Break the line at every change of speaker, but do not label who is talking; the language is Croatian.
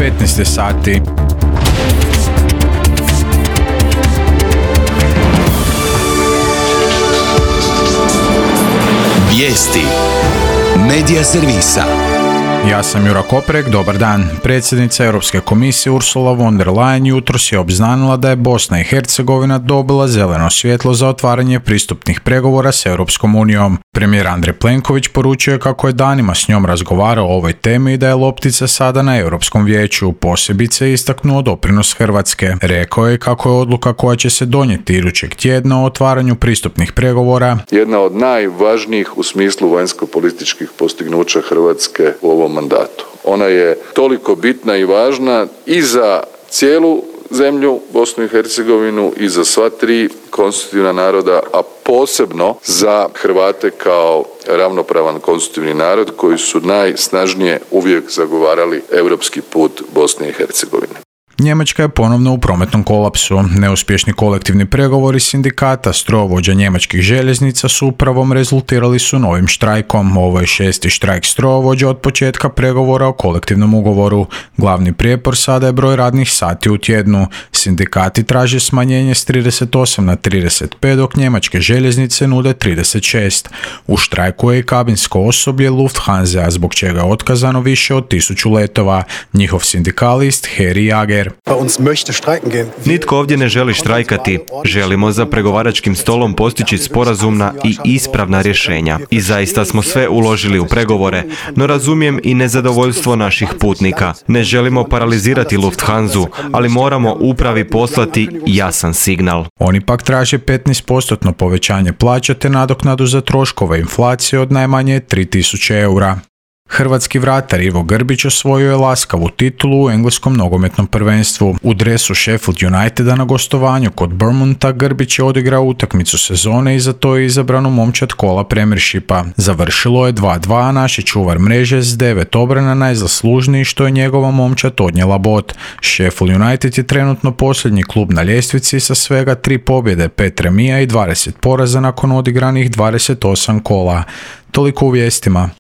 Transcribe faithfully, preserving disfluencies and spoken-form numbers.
petnaest sati.
Vijesti Medija servisa.
Ja sam Jura Koprek, dobar dan. Predsjednica Europske komisije Ursula von der Leyen jutros je obznanila da je Bosna i Hercegovina dobila zeleno svjetlo za otvaranje pristupnih pregovora s Europskom unijom. Premijer Andrej Plenković poručio je kako je danima s njom razgovarao o ovoj temi i da je loptica sada na Europskom vijeću, posebice istaknuo doprinos Hrvatske. Rekao je kako je odluka koja će se donijeti idućeg tjedna o otvaranju pristupnih pregovora
jedna od najvažnijih u smislu vanjsko-političkih postignuća Hrvatske u ovom mandatu. Ona je toliko bitna i važna i za cijelu zemlju, Bosnu i Hercegovinu, i za sva tri konstitutivna naroda, a posebno za Hrvate kao ravnopravan konstitutivni narod koji su najsnažnije uvijek zagovarali europski put Bosne i Hercegovine.
Njemačka je ponovno u prometnom kolapsu. Neuspješni kolektivni pregovori sindikata strojovođa njemačkih željeznica s upravom rezultirali su novim štrajkom. Ovo je šesti štrajk strojovođa od početka pregovora o kolektivnom ugovoru. Glavni prijepor sada je broj radnih sati u tjednu. Sindikati traže smanjenje s trideset osam na trideset pet, dok njemačke željeznice nude trideset šest. U štrajku je i kabinsko osoblje Lufthansa, zbog čega je otkazano više od tisuću letova. Njihov sindikalist Heri Jager.
Nitko ovdje ne želi štrajkati. Želimo za pregovaračkim stolom postići sporazumna i ispravna rješenja. I zaista smo sve uložili u pregovore, no razumijem i nezadovoljstvo naših putnika. Ne želimo paralizirati Lufthansu, ali moramo upravi poslati jasan signal.
Oni pak traže petnaest posto povećanje plaća te nadoknadu za troškove inflacije od najmanje tri tisuće eura. Hrvatski vratar Ivo Grbić osvojio je laskavu titulu u engleskom nogometnom prvenstvu. U dresu Sheffield Uniteda na gostovanju kod Bournemoutha Grbić je odigrao utakmicu sezone i za to je izabran u momčad kola Premiershipa. Završilo je dva dva, a naš je čuvar mreže s devet obrana najzaslužniji što je njegova momčad odnijela bod. Sheffield United je trenutno posljednji klub na ljestvici sa svega tri pobjede, pet remija i dvadeset poraza nakon odigranih dvadeset osam kola. Toliko u vijestima.